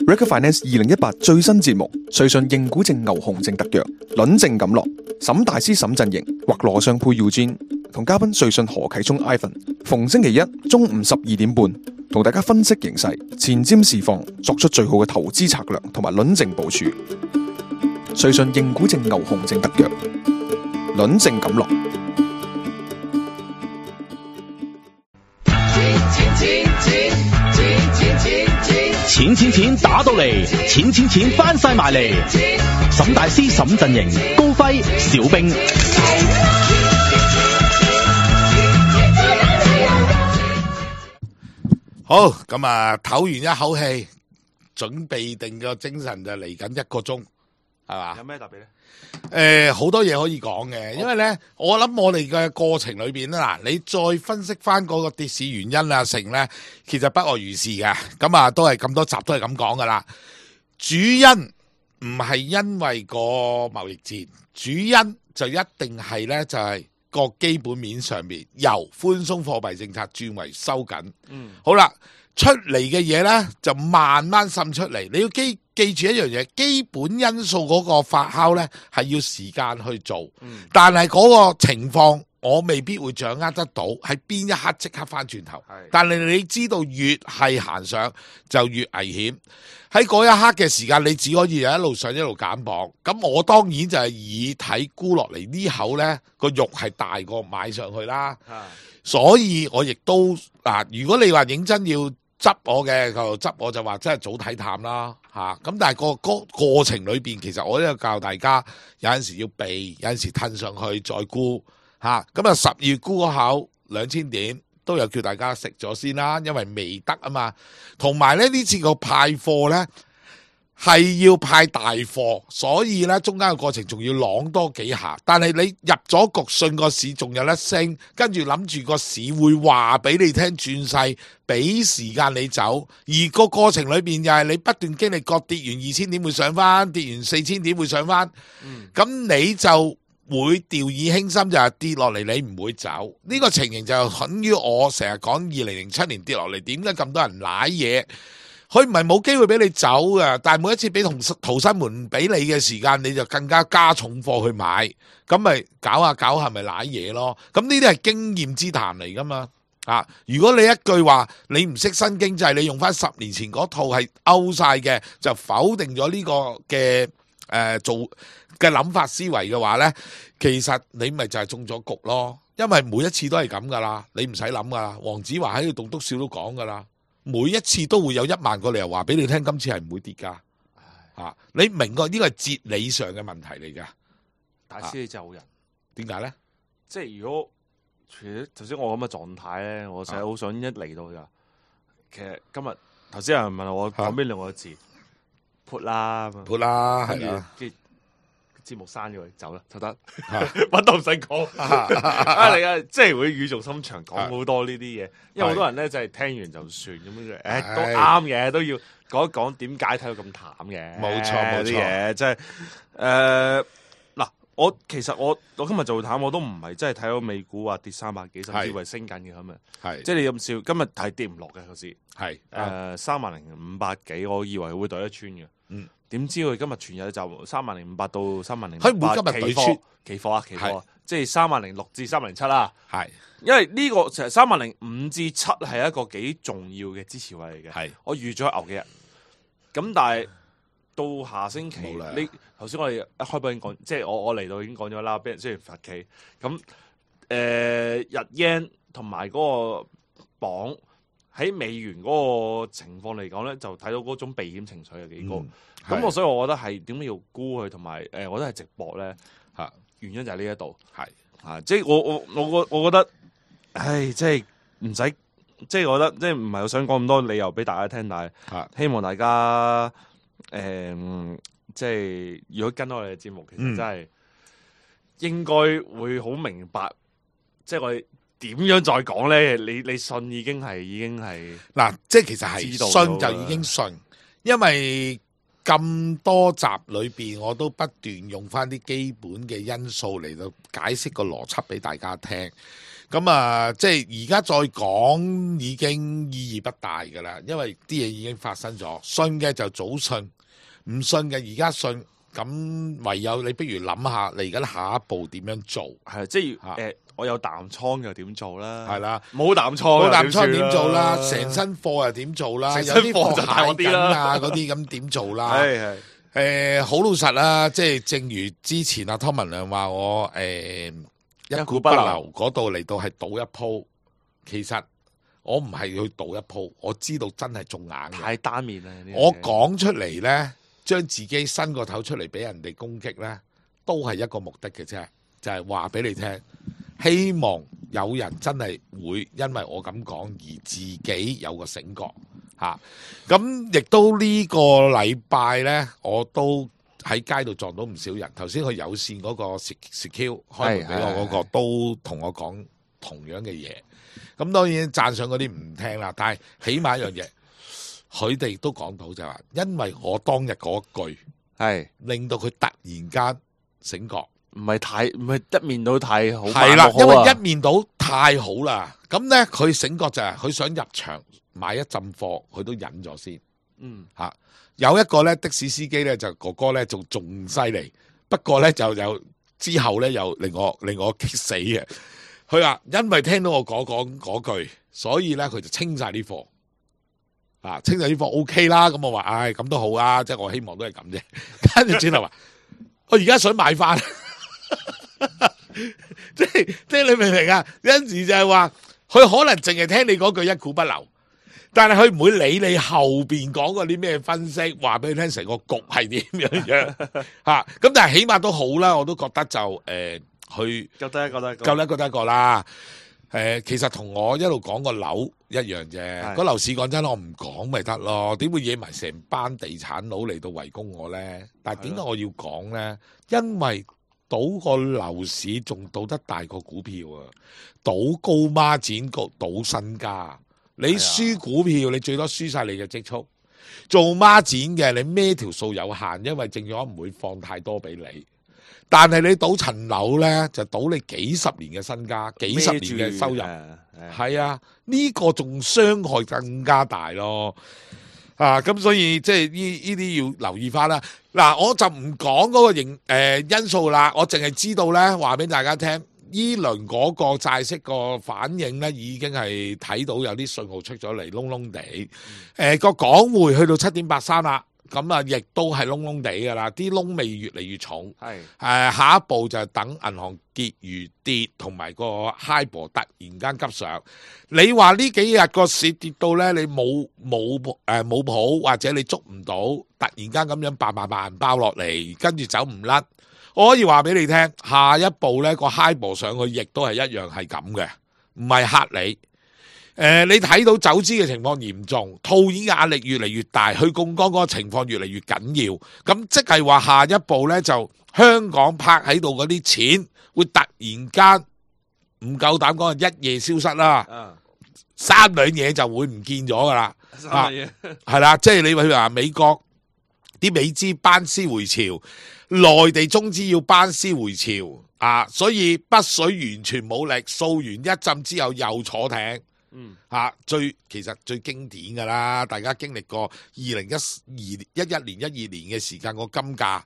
Recruit Finance 2018最新節目，瑞信認股證牛熊證特約，輪證錦落，沈大師沈陣營或羅尚佩 Eugene 同嘉賓瑞信何啟聰 Ivan， 逢星期一中午12點半，同大家分析形勢，前瞻市況，作出最好嘅投資策略同埋輪證部署。瑞信認股證牛熊證特約，輪證錦落。錢打到嚟，錢翻晒埋嚟。沈大師沈陣營，高輝小兵。好，咁啊，唞完一口氣，準備定個精神就嚟緊1個鐘，係嘛？有咩特別咧？好多嘢可以講嘅，因為咧，我諗我哋嘅過程裏邊咧，嗱，你再分析翻嗰個跌市原因啊，成咧，其實不外如是嘅。咁啊，都係咁多集都係咁講噶啦。主因唔係因為個貿易戰，主因就一定係咧，就係個基本面上面由寬鬆貨幣政策轉為收緊。好啦，出嚟嘅嘢咧就慢慢滲出嚟。你要記住一樣嘢，基本因素嗰個發酵咧係要時間去做，但係嗰個情況我未必會掌握得到，喺邊一刻即刻翻轉頭。但係你知道越係行上就越危險，喺嗰一刻嘅時間你只可以一路上一路減磅。咁我當然就係以睇沽落嚟呢口咧個肉係大過買上去啦。所以我亦都如果你話認真要執我嘅，就執我就話真係早睇淡啦嚇。咁但係個過程裏邊，其實我都有教大家有陣時要避，有陣時褪上去再沽嚇。咁啊10月沽嗰口2000點都有叫大家食咗先啦，因為未得啊嘛。同埋咧呢次個派貨咧係要派大貨，所以咧中間嘅過程仲要啷多幾下。但係你入咗局，信個市仲有得升，跟住諗住個市會話俾你聽轉勢，俾時間你走。而個過程裏邊又係你不斷經歷過跌完2000點會上翻，跌完4000點會上翻。咁你就會掉以輕心，就係跌落嚟你唔會走。呢個情形就等於我成日講2007年跌落嚟，點解咁多人瀨嘢？佢唔係冇機會俾你走嘅，但係每一次俾逃生門唔俾你嘅時間，你就更加加重貨去買，咁咪搞下咪瀨嘢咯。咁呢啲係經驗之談嚟噶嘛。如果你一句話你唔識新經濟，你用翻10年前嗰套係勾晒嘅，就否定咗呢個嘅做嘅諗法思維嘅話呢，其實你咪就係中咗局咯。因為每一次都係咁噶啦，你唔使諗噶啦。黃子華喺度棟篤笑都講噶啦。每一次都會有1萬個理由話俾你聽，今次係唔會跌噶。你明個呢個係哲理上嘅問題嚟噶。大師你就好人，點解咧？即係如果頭先我咁嘅狀態咧，我成日好想一嚟到就，其實今日頭先有人問我講邊2個字，put 啦，係啦。節目刪咗佢，走啦，就得，乜都唔使講。你啊，即係會語重心長講好多呢啲嘢，因為好多人咧就係聽完就算咁樣，都啱嘅，都要講一講點解睇到咁淡嘅。冇錯啲嘢，即係嗱，其實我今日做淡，我都唔係真係睇到美股話跌300幾，甚至係升緊嘅咁樣。係，即係你咁笑，今日係跌唔落嘅個市。係，30,500幾，我以為會對得穿嘅。點知佢今日全日就30,500到30,800，佢每今日對穿期貨，即係30,600至30,700啦。係，因為呢個其實30,500至7係一個幾重要嘅支持位嚟嘅。係，我預咗牛幾日。咁但係到下星期，你頭先我哋一開播已經講，即係我嚟到已經講咗啦，俾人雖然罰企。咁日 yen 同埋嗰個鎊喺美元嗰個情況嚟講咧，就睇到嗰種避險情緒係幾高。咁所以我覺得係點解要沽佢，同埋我覺得係直播咧原因就係呢一度即係我覺得，即係唔使，即係我覺得即係唔係我想講咁多理由俾大家聽，但係希望大家即係如果跟我哋嘅節目，其實真係應該會好明白，即係我哋點樣再講咧？你信已經係嗱，即係其實係信就已經信，因為咁多集裏邊，我都不斷用翻啲基本嘅因素嚟到解釋個邏輯俾大家聽。咁啊，即係而家再講已經意義不大噶啦，因為啲嘢已經發生咗。信嘅就早信，唔信嘅而家信。咁唯有你不如諗下，你而家下一步點樣做？係即係我有淡倉又點做啦？係啦，冇淡倉點做啦？成身貨又點做啦？有啲貨就大啲啦，嗰啲咁點做啦？係好老實啦，即係正如之前阿湯文亮話我一股不留嗰度嚟到係賭一鋪，其實我唔係去賭一鋪，我知道真係中硬嘅，太單面啦！我講出嚟咧，將自己伸個頭出嚟俾人哋攻擊咧，都係一個目的嘅啫，就係話俾你聽，希望有人真係會因為我咁講而自己有個醒覺嚇。咁亦都呢個禮拜咧，我都喺街度撞到唔少人。頭先佢有線嗰個 secure 開門俾我嗰個都同我講同樣嘅嘢。咁當然讚賞嗰啲唔聽啦，但係起碼一樣嘢，佢哋都講到就係話，因為我當日嗰句係令到佢突然間醒覺，唔係一面倒太好，係啦，因為一面倒太好啦。咁咧佢醒覺就係佢想入場買一浸貨，佢都忍咗先。有一個咧的士司機咧就哥哥咧仲犀利，不過咧就有之後咧又令我激死嘅。佢話因為聽到我講句，所以咧佢就清晒啲貨。清晒啲貨 OK 啦，咁我話唉咁都好啊，即係我希望都係咁啫。跟住轉頭話我而家想買翻，即係你明唔明啊？有陣時就係話佢可能淨係聽你嗰句一股不留。但係佢唔會理你後邊講過啲咩分析，話俾你聽成個局係點樣嚇。咁但係起碼都好啦，我都覺得就佢覺得一個啦。其實同我一路講個樓一樣啫。個樓市講真，我唔講咪得咯。點會惹埋成班地產佬嚟到圍攻我咧？但係點解我要講咧？因為賭個樓市仲賭得大過股票啊！賭高孖展局賭身家。你輸股票，你最多輸晒你嘅積蓄。做孖展嘅，你孭條數有限，因為證券唔會放太多俾你。但係你賭層樓咧，就賭你幾十年嘅身家，幾十年嘅收入。係啊，呢個仲傷害更加大咯。咁所以即係呢啲要留意翻啦。嗱，我就唔講嗰個因素啦，我淨係知道咧，話俾大家聽。依輪嗰個債息個反應咧，已經係睇到有啲信號出咗嚟，窿窿地。個港匯去到7.83啦，咁啊，亦都係窿窿地噶啦，啲窿味越嚟越重。下一步就係等銀行結餘跌，同埋個 HIBOR 突然間急上。你話呢幾日個市跌到咧，你冇譜，或者你捉唔到，突然間咁樣嘭爆落嚟，跟住走唔甩。我可以話俾你聽，下一步咧個 HIBOR 上去，亦都係一樣係咁嘅，唔係嚇你。你睇到走資嘅情況嚴重，套現壓力越嚟越大，去槓桿嗰個情況越嚟越緊要。咁即係話下一步咧，就香港泊喺度嗰啲錢會突然間唔夠膽講一夜消失啦，三兩嘢就會唔見咗噶啦。係啦，即係你話美國啲美資班師回朝。內地中資要班師回朝所以北水完全冇力，掃完一陣之後又坐艇，其實最經典噶啦，大家經歷過2011年12年嘅時間，個金價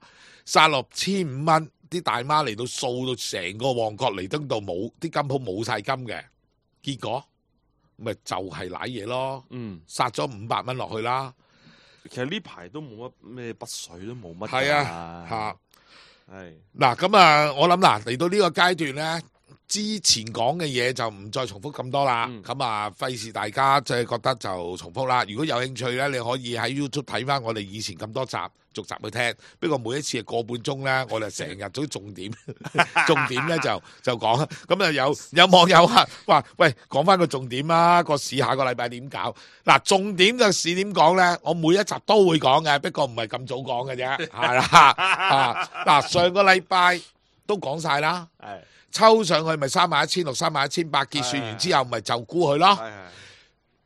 殺落1500蚊，啲大媽嚟到掃到成個旺角彌敦道冇啲金鋪冇晒金嘅，結果咪就係瀨嘢咯，殺咗500蚊落去啦。其實呢排都冇乜咩北水都冇乜。係啊，係嗱咁啊，我諗嚟到呢個階段咧，之前講嘅嘢就唔再重複咁多啦。咁費事大家即係覺得就重複啦。如果有興趣咧，你可以喺 YouTube 睇翻我哋以前咁多集，逐集去聽。不過每一次係個半鐘咧，我哋成日做重點，重點咧就講。咁啊有網友話喂，講翻個重點啦，個市下個禮拜點搞？嗱，重點嘅市點講咧？我每一集都會講嘅，不過唔係咁早講嘅啫，係啦。嗱，上個禮拜都講晒啦，抽上去咪31600、31800，結算完之後咪就沽佢咯。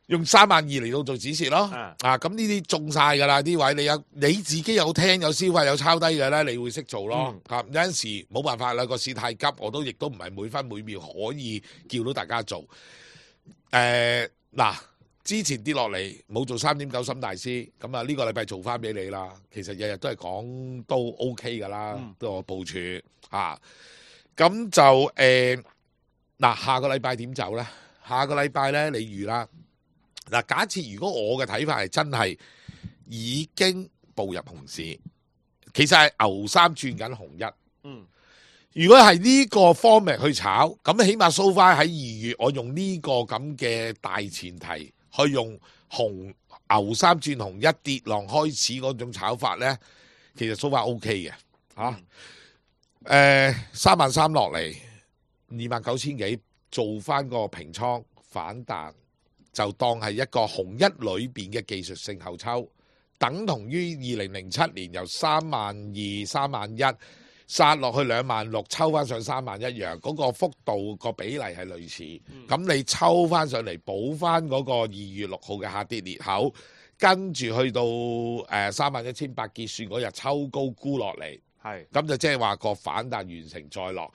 用32000嚟到做止蝕咯。咁呢啲中晒噶啦，啲位你自己有聽有消費有抄低嘅咧，你會識做咯。有陣時冇辦法啦，個市太急，我都亦都唔係每分每秒可以叫到大家做。之前跌落嚟冇做3.9沈大師，咁啊呢個禮拜做翻俾你啦。其實日日都係講都 OK 噶啦，都我部署咁就下個禮拜點走咧？下個禮拜咧，你預啦。假設如果我嘅睇法係真係已經步入熊市，其實係牛三轉緊熊一。如果係呢個 format 去炒，咁起碼 so far 喺2月，我用呢個咁嘅大前提去用牛三轉熊一跌浪開始嗰種炒法咧，其實 so far OK 嘅33000落嚟29000幾，做翻個平倉反彈，就當係一個熊一裏邊嘅技術性後抽，等同於2007年由32000、31000殺落去26000，抽翻上30000一樣，嗰個幅度個比例係類似。咁你抽翻上嚟補翻嗰個2月6號嘅下跌裂口，跟住去到31800結算嗰日抽高沽落嚟，咁就即係話個反彈完成再落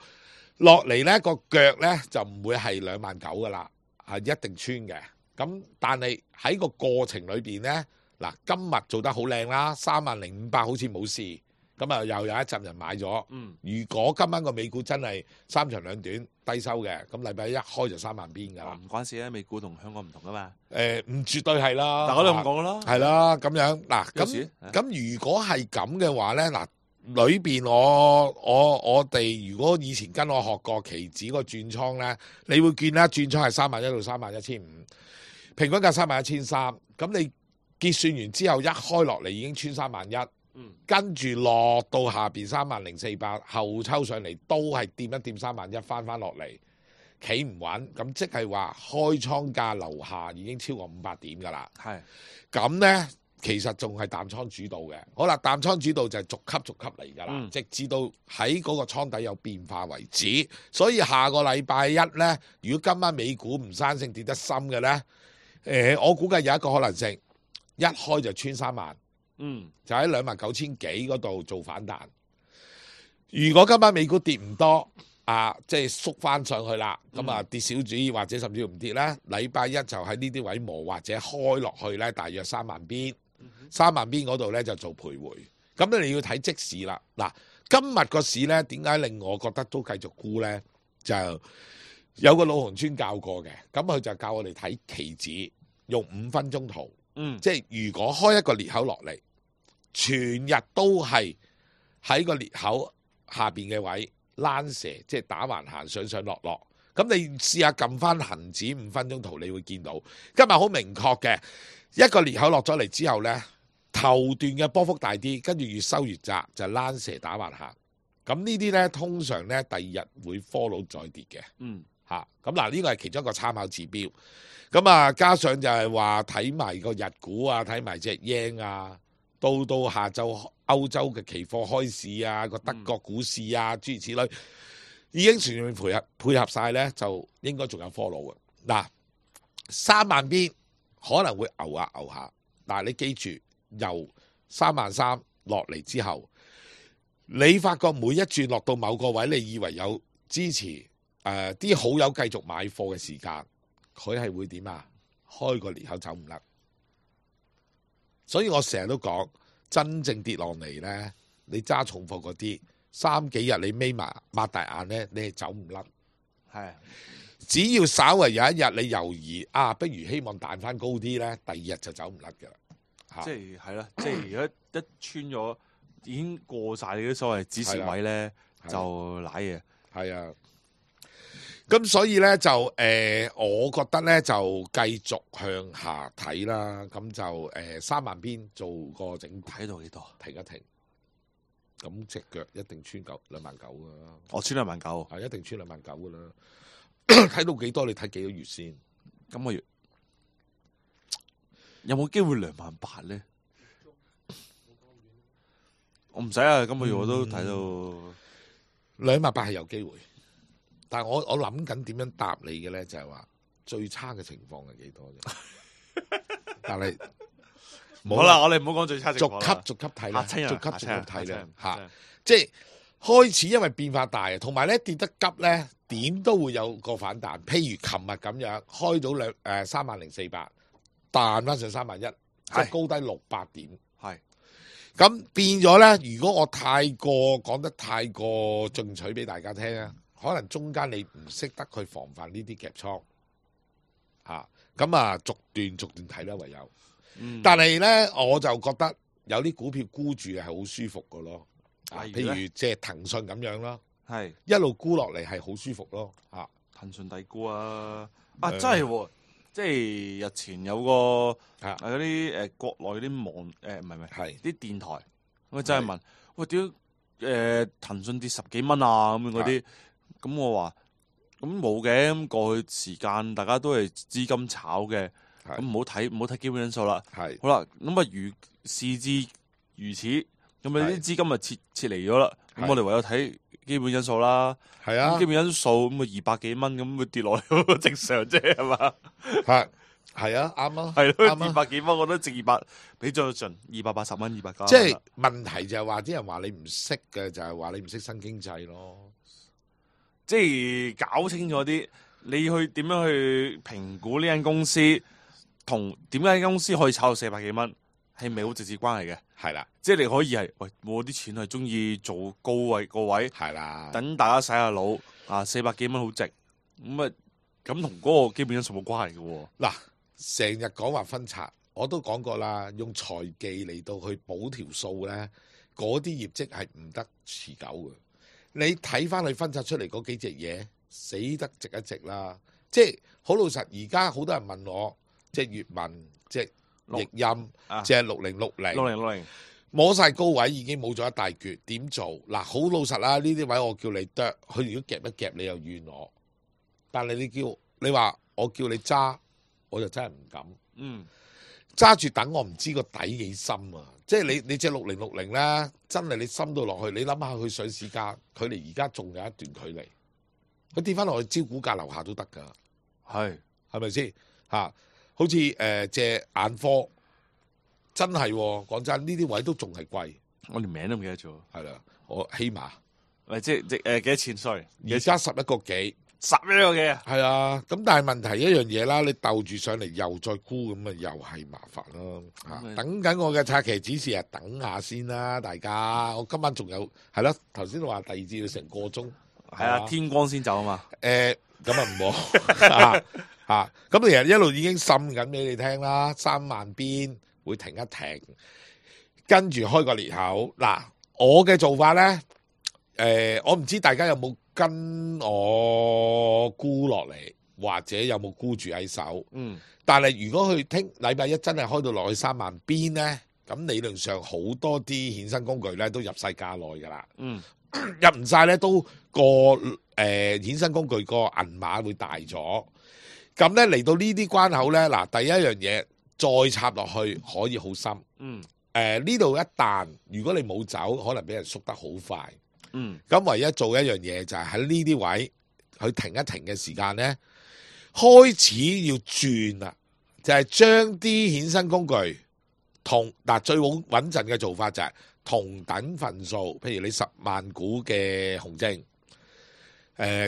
嚟呢個腳呢就唔會係29000噶啦，係一定穿嘅。咁但係喺個過程裏邊呢，今日做得好靚啦，30500好似冇事。咁又有一陣人買咗。如果今晚個美股真係3長2短低收嘅，咁禮拜一開就3萬邊㗎啦。唔關事啊，美股同香港唔同㗎嘛。唔絕對係啦。但我都咁講啦。係啦，咁樣咁如果係咁嘅話咧，裏邊我哋如果以前跟我學過期指個轉倉咧，你會見啦，轉倉係31000到31500，平均價31300。咁你結算完之後一開落嚟已經穿31000。跟住落到下邊30400，後抽上嚟都係掂一掂31000，翻落嚟企唔穩，咁即係話開倉價樓下已經超過500點噶啦。咁呢，其實仲係淡倉主導嘅。好啦，淡倉主導就係逐級逐級嚟噶啦，直至到喺嗰個倉底有變化為止。所以下個禮拜一呢，如果今晚美股唔生性跌得深嘅呢，我估計有一個可能性，一開就穿30000。就喺29000幾嗰度做反彈。如果今晚美股跌唔多，即係縮翻上去啦，咁跌少主義或者甚至唔跌咧，禮拜一就喺呢啲位磨或者開落去咧，大約3萬邊，3萬邊嗰度咧就做徘徊。咁你要睇即市啦。今日個市咧點解令我覺得都繼續沽咧？就有個老紅村教過嘅，咁佢就教我哋睇期指，用5分鐘圖，即係如果開一個裂口落嚟，全日都係喺個裂口下邊嘅位躝蛇，即係打橫行上上落落。咁你試下撳翻恒指5分鐘圖，你會見到今日好明確嘅一個裂口落咗嚟之後呢，頭段嘅波幅大啲，跟住越收越窄，就躝蛇打橫行。咁呢啲呢，通常呢第二日會 follow 再跌嘅。咁呢個係其中一個參考指標。咁加上就係話睇埋個日股啊，睇埋隻 yen 啊。到下晝歐洲嘅期貨開市啊，個德國股市啊，諸如此類，已經全面配合晒呢，就應該仲有 follow 嘅。3萬邊可能會牛下，但係你記住，由33000落嚟之後，你發覺每一轉落到某個位，你以為有支持，啲好友繼續買貨嘅時間，佢係會點啊？開個裂口走唔甩。所以我成日都講，真正跌落嚟呢，你揸重貨嗰啲3幾日你眯埋擘大眼呢，你係走唔甩。只要稍為有一日你猶豫不如希望彈翻高啲呢，第二日就走唔甩㗎啦。即係啦，即係如果一穿咗已經過晒你啲所謂止蝕位呢，就瀨嘢。係啊。咁所以咧就我覺得咧就繼續向下睇啦。咁就3萬邊做個整體到幾多？停一停。咁隻腳一定穿29000噶啦。我穿29000，係一定穿29000噶啦。睇到幾多？你睇幾個月先？今個月有冇機會28000咧？我唔使啊，今個月我都睇到28000係有機會。但係我諗緊點樣答你嘅咧，就係話最差嘅情況係幾多啫？但係好啦，我哋唔好講最差情況啦，逐級睇啦，逐級睇啦嚇。即係開始因為變化大，同埋咧跌得急咧，點都會有個反彈。譬如琴日咁樣開到30400，彈翻上31000，即係高低600點。係咁變咗咧，如果我講得太過進取俾大家聽啊，可能中間你唔識得去防範呢啲夾倉嚇，咁啊逐段睇啦，唯有。但係咧，我就覺得有啲股票沽住係好舒服㗎咯。譬如即係騰訊咁樣咯，係一路沽落嚟係好舒服咯。騰訊抵沽啊！真係喎，即係日前有個嗰啲國內嗰啲網唔係啲電台，我真係問喂，點騰訊跌10幾蚊啊咁樣嗰啲，咁我話咁冇嘅，咁過去時間大家都係資金炒嘅，咁唔好睇基本因素啦。好啦，咁啊如事至如此，咁啊啲資金啊撤離咗啦，咁我哋唯有睇基本因素啦。係啊，基本因素咁啊200幾蚊咁會跌落去，正常啫係嘛？係啊，啱啊，係咯，200幾蚊我覺得值200，俾咗盡280蚊290。即係問題就係話啲人話你唔識嘅，就係話你唔識新經濟咯。即係搞清楚啲，你去點樣去評估呢間公司，同點解間公司可以炒到400幾蚊，係咪好直接關係嘅？係啦，即係你可以係喂，我啲錢係中意做高位個位，係啦，等大家洗下腦啊，400幾蚊好值，咁同嗰個基本因素冇關係嘅喎。嗱，成日講話分拆，我都講過啦，用財技嚟到去補條數咧，嗰啲業績係唔得持久嘅。你睇翻佢分拆出嚟嗰幾隻嘢，死得值一值啦！即係好老實，而家好多人問我，即係粵文、即係譯音、即係6060摸晒高位，已經冇咗一大橛，點做？嗱，好老實啦，呢啲位我叫你剁，佢如果夾一夾，你又怨我。但係你話我叫你揸，我就真係唔敢。揸住等我唔知個底幾深啊！即係你隻6060咧，真係你深到落去，你諗下佢上市價，距離而家仲有一段距離，佢跌翻落去招股價樓下都得㗎，係咪先嚇？好似隻眼科，真係講真，呢啲位都仲係貴，我連名都唔記得咗。係啦，我希瑪，即係幾多錢？sorry，而家11個幾。11個幾啊？係啊，咁但係問題一樣嘢啦，你鬥住上嚟又再沽咁啊，又係麻煩咯。等緊我嘅拆期指示啊，等下先啦，大家。我今晚仲有係咯，頭先話第二節要成個鐘，係啊，天光先走啊嘛。咁啊唔好咁其實一路已經滲緊俾你聽啦，3萬邊會停一停，跟住開個裂口。嗱，我嘅做法咧，我唔知大家有冇跟我沽落嚟，或者有冇沽住喺手？但係如果佢聽禮拜一真係開到落去3萬邊咧，咁理論上好多啲衍生工具咧都入晒價內噶啦。入唔晒咧都個衍生工具個銀碼會大咗。咁咧嚟到呢啲關口咧，嗱，第一樣嘢再插落去可以好深。呢度一彈，如果你冇走，可能俾人縮得好快。咁唯一做一樣嘢就係喺呢啲位去停一停嘅時間咧，開始要轉啦，就係將啲衍生工具最穩陣嘅做法就係同等份數，譬如你10萬股嘅紅證，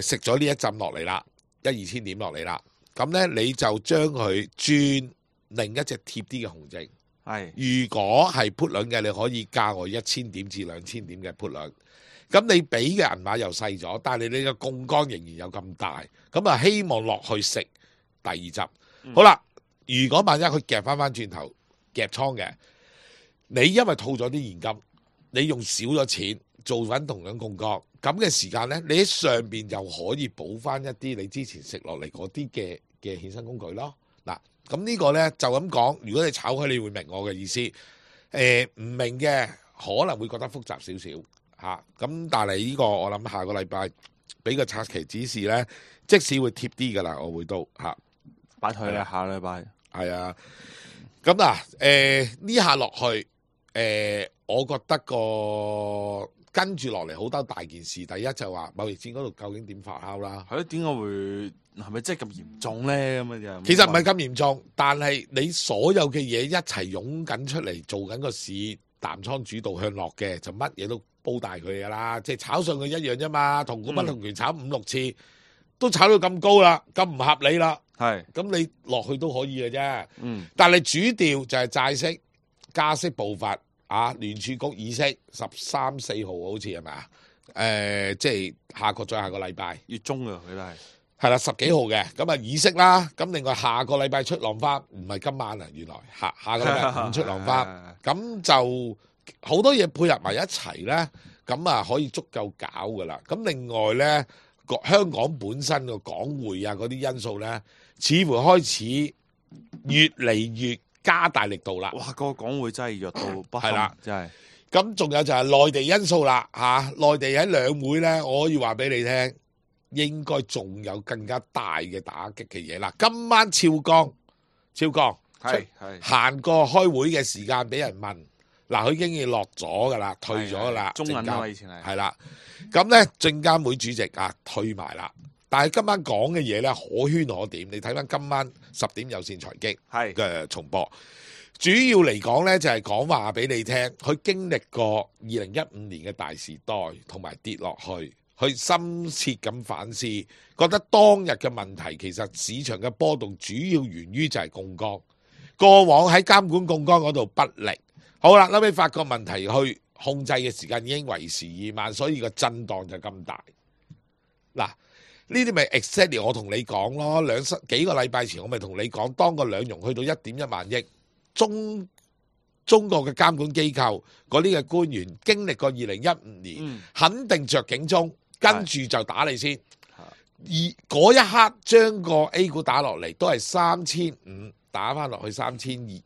食咗呢一浸落嚟啦，2千點落嚟啦，咁咧你就將佢轉另一隻貼啲嘅紅證。如果係 put 輪嘅，你可以加我1000點至2000點嘅 put 輪。咁你俾嘅銀碼又細咗，但係你嘅槓桿仍然有咁大，咁啊希望落去食第二汁。好啦，如果萬一佢夾翻轉頭夾倉嘅，你因為套咗啲現金，你用少咗錢做翻同樣槓桿，咁嘅時間咧，你喺上邊又可以補翻一啲你之前食落嚟嗰啲嘅衍生工具咯。嗱，咁呢個咧就咁講，如果你炒開，你會明我嘅意思。唔明嘅可能會覺得複雜少少。咁但係呢個我諗下個禮拜俾個拆期指示咧，即使會貼啲噶啦，我會都擺退啦，下禮拜係啊。咁呢下落去，我覺得個跟住落嚟好多大件事。第一就話貿易戰嗰度究竟點發酵啦？係咯，點解會係咪真係咁嚴重咧？咁樣其實唔係咁嚴重，但係你所有嘅嘢一齊湧緊出嚟，做緊個市淡倉主導向落嘅，就乜嘢都煲大佢噶啦。即係炒上去一樣啫嘛，同股不同權炒5-6次，都炒到咁高啦，咁唔合理啦。係，咁你落去都可以嘅啫。但係主調就係債息加息步伐啊，聯儲局議息13、14號好似係咪啊？即係再下個禮拜月中啊，佢都係啦，10幾號嘅，咁啊議息啦。咁另外下個禮拜出浪花，唔係今晚啊，原來下個禮拜5出浪花，咁就好多嘢配合埋一齊咧，咁啊可以足夠搞噶啦。咁另外咧，香港本身個港匯啊嗰啲因素咧，似乎開始越嚟越加大力度啦。哇！個港匯真係弱到不堪，係啦，真係。咁仲有就係內地因素啦，內地喺兩會咧，我可以話俾你聽，應該仲有更加大嘅打擊嘅嘢啦。今晚超江係行過開會嘅時間俾人問，嗱佢已經要落咗噶啦，退咗噶啦，中銀啊以前係啦。咁咧證監會主席退埋啦，但係今晚講嘅嘢咧可圈可點。你睇翻今晚10點有線財經嘅重播。主要嚟講咧，就係講話俾你聽，佢經歷過2015年嘅大時代，同埋跌落去，去深切咁反思，覺得當日嘅問題其實市場嘅波動主要源於就係槓桿，過往喺監管槓桿嗰度不力。好啦，後尾發覺問題去控制嘅時間已經為時已晚，所以個震盪就咁大。嗱，呢啲咪 exactly 我同你講咯，幾個禮拜前我咪同你講，當個兩融去到1.1萬億。中國嘅監管機構嗰啲嘅官員經歷過2015年，肯定着警鐘，跟住就打你先。而嗰一刻將個 A 股打落嚟，都係3500打翻落去3200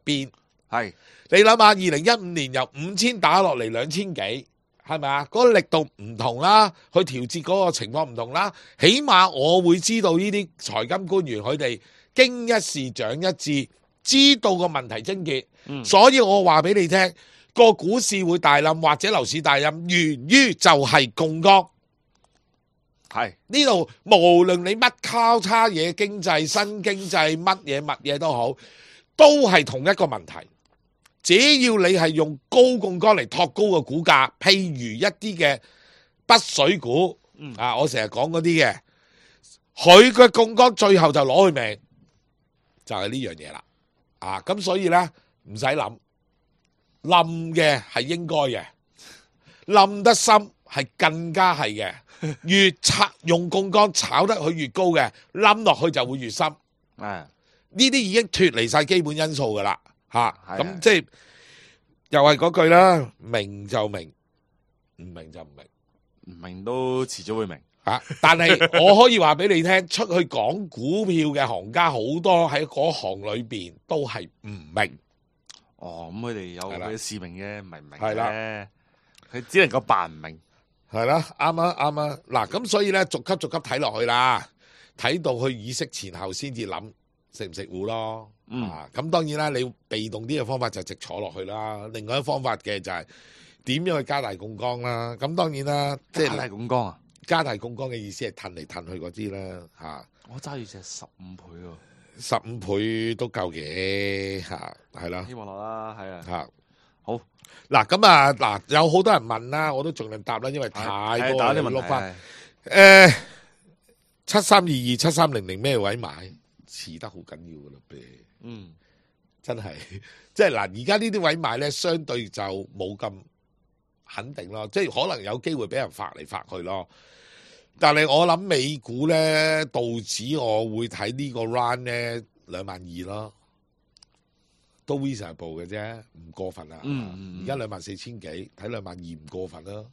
邊。係你諗下，2015年由5000打落嚟2000幾，係咪啊？嗰個力度唔同啦，去調節嗰個情況唔同啦。起碼我會知道呢啲財金官員佢哋經一事長一智。知道個問題症結，所以我話俾你聽，個股市會大冧或者樓市大冧，源於就係槓桿。係呢度無論你乜交叉嘢經濟、新經濟乜嘢都好，都係同一個問題。只要你係用高槓桿嚟托高個股價，譬如一啲嘅北水股，我成日講嗰啲嘅，佢嘅槓桿最後就攞佢命，就係呢樣嘢啦。咁所以咧唔使諗，冧嘅係應該嘅，冧得深係更加係嘅，越用槓桿炒得佢越高嘅，冧落去就會越深。呢啲已經脫離晒基本因素噶啦，咁即係又係嗰句啦，明就明，唔明就唔明，唔明都遲早會明。但係我可以話俾你聽，出去講股票嘅行家好多喺嗰行裏邊都係唔明。咁佢哋有佢嘅使命嘅，唔係唔明嘅，佢只能夠扮唔明。係啦，啱啊。嗱，咁所以咧，逐級睇落去啦，睇到去議息前後先至諗食唔食糊咯。咁當然啦，你被動啲嘅方法就直坐落去啦。另外一方法嘅就係點樣去加大槓桿啦。咁當然啦，即係加大槓桿啊！加大槓桿嘅意思係褪嚟褪去嗰啲啦，我揸住隻15倍喎，15倍都夠嘅，係啦。希望落啦，係啊。好嗱，咁有好多人問啦，我都盡量答啦，因為太多人碌翻。7322、7300咩位買？遲得好緊要噶啦，真係，即係嗱，而家呢啲位買咧，相對就冇咁肯定咯，即係可能有機會俾人發嚟發去咯。但係我諗美股咧，道指我會睇呢個 round 咧22000咯，都 reasonable 嘅啫，唔過分啊。而家24000幾，睇22000唔過分啦。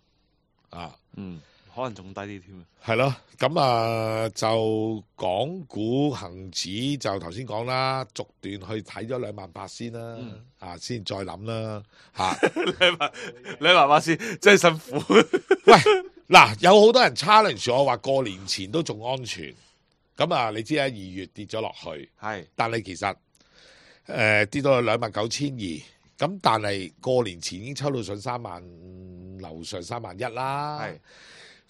可能仲低啲添。係咯，咁就港股恒指就頭先講啦，逐段去睇咗28000先啦，先再諗啦。28000先，真係辛苦。喂！嗱，有好多人 challenge 我話過年前都仲安全，咁你知啦，2月跌咗落去，但係其實跌到去29200，咁但係過年前已經抽到上36000樓上31000啦。係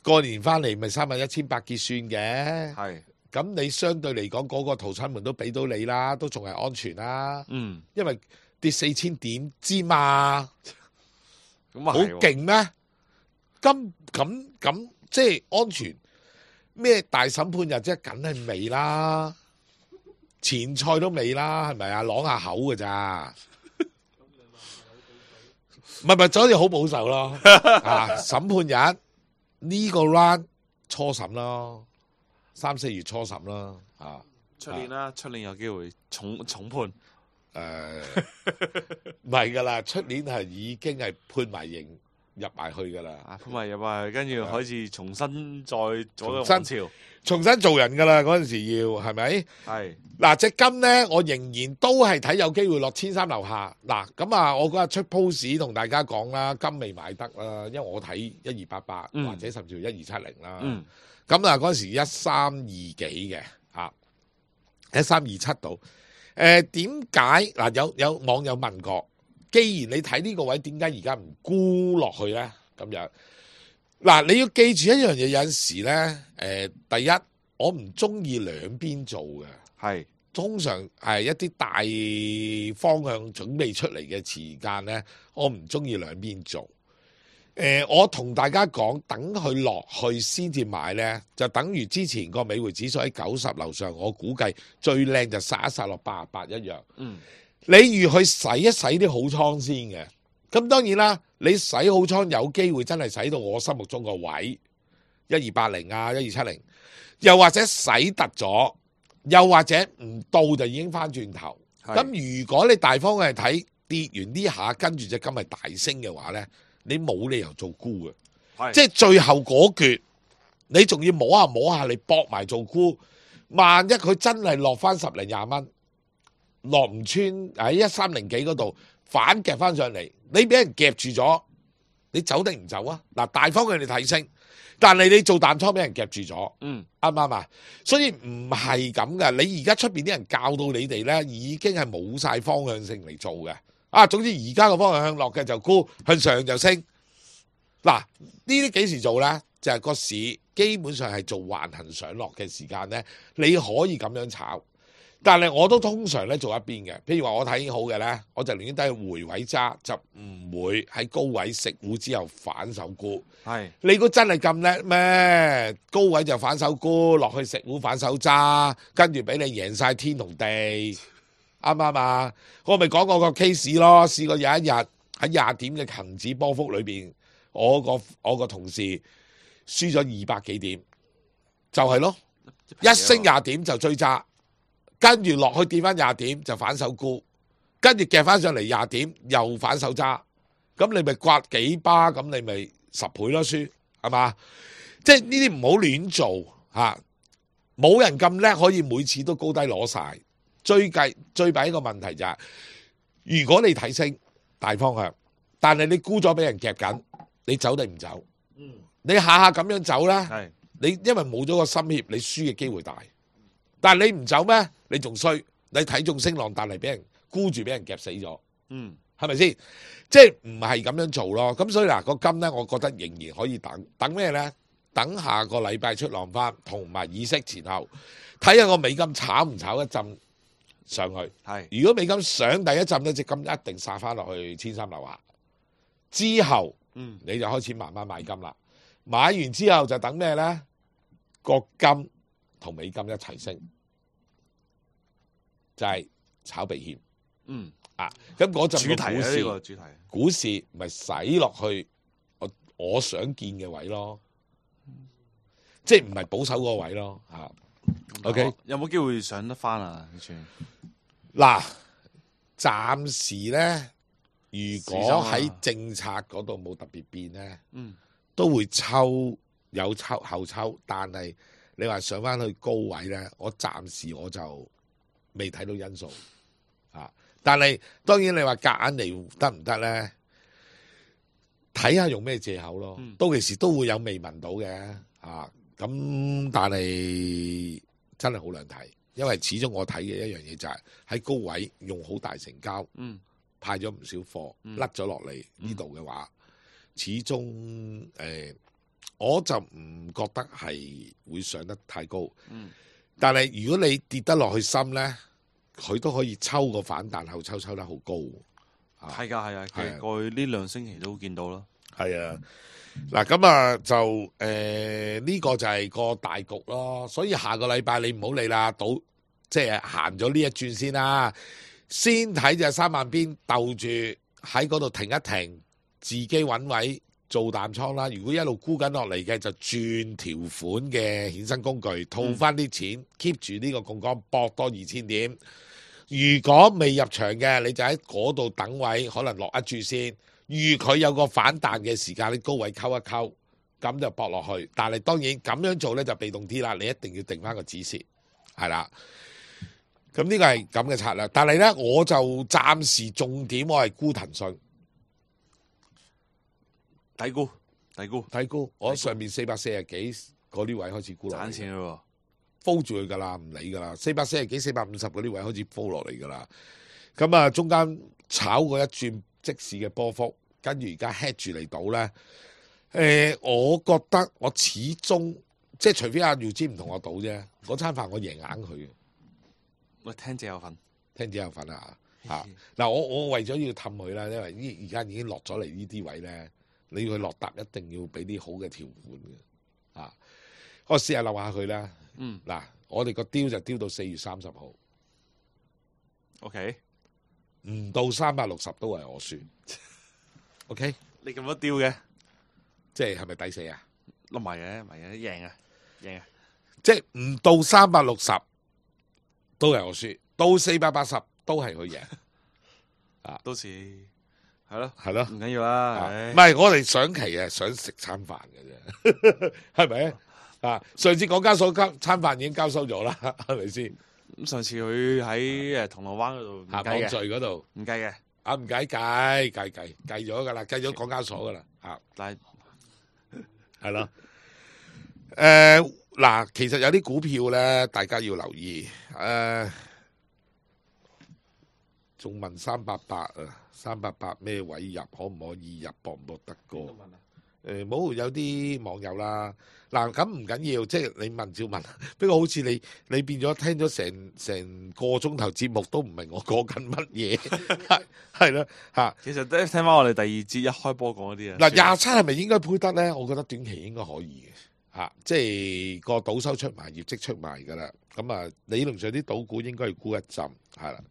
過年翻嚟咪31800結算嘅。係咁你相對嚟講嗰個逃生門都俾到你啦，都仲係安全啦。因為跌4000點之嘛，咁啊好勁咩？咁即係安全咩？大審判日即係梗係未啦，前菜都未啦，係咪啊？啷下口㗎咋？唔係，所以好保守咯。啊，審判日呢個 round 初審咯，3、4月初審啦。啊，出年啦，出年有機會重判。唔係噶啦，出年係已經係判埋刑入埋去噶啦。判埋入埋，跟住開始重新再做個王朝，重新做人噶啦。嗰陣時要係咪？係嗱，隻金咧，我仍然都係睇有機會落1300樓下。嗱，咁啊，我嗰日出 post 同大家講啦，金未買得啦，因為我睇1288或者甚至乎1270啦。咁啊，嗰陣時132幾嘅嚇，1327度。點解嗱？有網友問過，既然你睇呢個位，點解而家唔沽落去咧？咁樣嗱，你要記住一樣嘢，有陣時咧，第一，我唔中意兩邊做嘅，係通常係一啲大方向準備出嚟嘅時間咧，我唔中意兩邊做。我同大家講，等佢落去先至買呢，就等於之前個美匯指數喺90樓上，我估計最靚就殺一殺落88一樣。你預去洗一洗啲好倉先嘅，咁當然啦，你洗好倉有機會真係洗到我心目中個位1280啊1270，又或者洗突咗，又或者唔到就已經翻轉頭。咁如果你大方向係睇跌完呢下，跟住隻金係大升嘅話呢，你冇理由做沽嘅，即係最後嗰橛，你仲要摸下，你搏埋做沽。萬一佢真係落翻10零20蚊，落唔穿喺130幾嗰度反夾翻上嚟，你俾人夾住咗，你走定唔走啊？嗱，大方向你睇升，但係你做淡倉俾人夾住咗，啱唔啱啊？所以唔係咁嘅，你而家出邊啲人教到你哋咧，已經係冇晒方向性嚟做嘅。總之而家個方向向落嘅就沽，向上就升。嗱，呢啲幾時做呢？就係個市基本上係做橫行上落嘅時間呢，你可以咁樣炒。但係我都通常咧做一邊嘅，譬如話我睇好嘅呢，我就寧願低回位揸，就唔會喺高位食糊之後反手沽。你估真係咁叻咩？高位就反手沽，落去食糊反手揸，跟住俾你贏晒天同地。啱唔啱啊？我咪講過個 case 咯，試過有一日喺20點嘅恆指波幅裏邊，我個同事輸咗200幾點，就係咯，一升20點就追揸，跟住落去跌翻20點就反手沽，跟住夾翻上嚟20點又反手揸，咁你咪刮幾巴，咁你咪10倍咯輸，係嘛？即係呢啲唔好亂做嚇，冇人咁叻可以每次都高低攞晒。最弊一個問題就係，如果你睇升大方向，但係你沽咗俾人夾緊，你走定唔走？你下下咁樣走咧，你因為冇咗個心協，你輸嘅機會大。但係你唔走咩？你仲衰，你睇中升浪，但係俾人沽住，俾人夾死咗。係咪先？即係唔係咁樣做咯？咁所以嗱，個金咧，我覺得仍然可以等咩咧？等下個禮拜出浪翻，同埋議息前後，睇下個美金炒唔炒一陣上去。如果美金上第一陣咧，隻金一定殺翻落去1300樓下。之後，你就開始慢慢買金啦。買完之後就等咩咧？個金同美金一齊升，就係炒避險。咁嗰陣個主題，股市咪使落去我想見嘅位咯，即係唔係保守嗰個位咯嚇。OK， 有冇機會上得翻啊？嗱，暫時咧，如果喺政策嗰度冇特別變咧，都會有後抽，但係你話上翻去高位咧，我暫時我就未睇到因素啊。但係當然你話夾硬嚟得唔得咧？睇下用咩藉口咯。到其時都會有未聞到嘅咁但係真係好難睇，因為始終我睇嘅一樣嘢就係喺高位用好大成交，派咗唔少貨，甩咗落嚟呢度嘅話，始終我就唔覺得係會上得太高。但係如果你跌得落去深咧，佢都可以抽個反彈後抽得好高。係㗎，其實過去呢2星期都見到啦。係啊，嗱咁啊就呢個就係個大局咯。所以下個禮拜你唔好理啦，即係行咗呢一轉先啦。先睇隻3萬邊鬥住喺嗰度停一停，自己揾位做淡倉啦。如果一路沽緊落嚟嘅，就轉條款嘅衍生工具套翻啲錢，keep 住呢個槓桿搏多2000點。如果未入場嘅，你就喺嗰度等位，可能落一注先。預佢有個反彈嘅時間，你高位溝一溝，咁就搏落去。但係當然咁樣做呢，就被動啲啦，你一定要定翻個止蝕，係啦。咁呢個係咁嘅策略，但係呢，我就暫時重點我係沽騰訊，低估，我上面440幾嗰啲位開始沽落嚟，賺錢咯，hold 住佢噶啦，唔理噶啦，440幾、450嗰啲位開始 hold 落嚟噶啦。咁啊，中間炒過一轉即市嘅波幅，跟住而家 head 住嚟到呢。我覺得我始終即係除非阿耀之唔同我賭啫，嗰餐飯我贏硬佢。我聽者有份啊！嗱，我為咗要氹佢啦，因為而家已經落咗嚟呢啲位咧，你要佢落搭一定要俾啲好嘅條款嘅啊！我試下留下佢啦。嗱，我哋個雕就雕到4月30號。OK， 唔到360都係我輸。OK， 你咁多雕嘅，即係咪抵死啊？唔係嘅，贏啊！即係唔到360。都係我輸，到480都係佢贏，到時係咯，唔緊要啦。唔係我哋上期想食餐飯嘅啫，係咪啊？上次港交所餐飯已經交收咗啦，係咪先？咁上次佢喺銅鑼灣嗰度網聚嗰度唔計嘅，唔計咗噶啦，計咗港交所噶啦，但係係咯，嗱，其實有啲股票咧，大家要留意。仲問388啊，388咩位入，可唔可以入，搏唔搏得過？冇，有啲網友啦。嗱，咁唔緊要，即係你問照問。不過好似你變咗聽咗成個鐘頭節目，都唔明我講緊乜嘢，係咯嚇。其實聽翻我哋第2節一開波講嗰啲啊。嗱，27係咪應該配得咧？我覺得短期應該可以嘅。即係個賭收出埋，業績出埋噶啦，咁啊理論上啲賭股應該要沽一浸，係啦。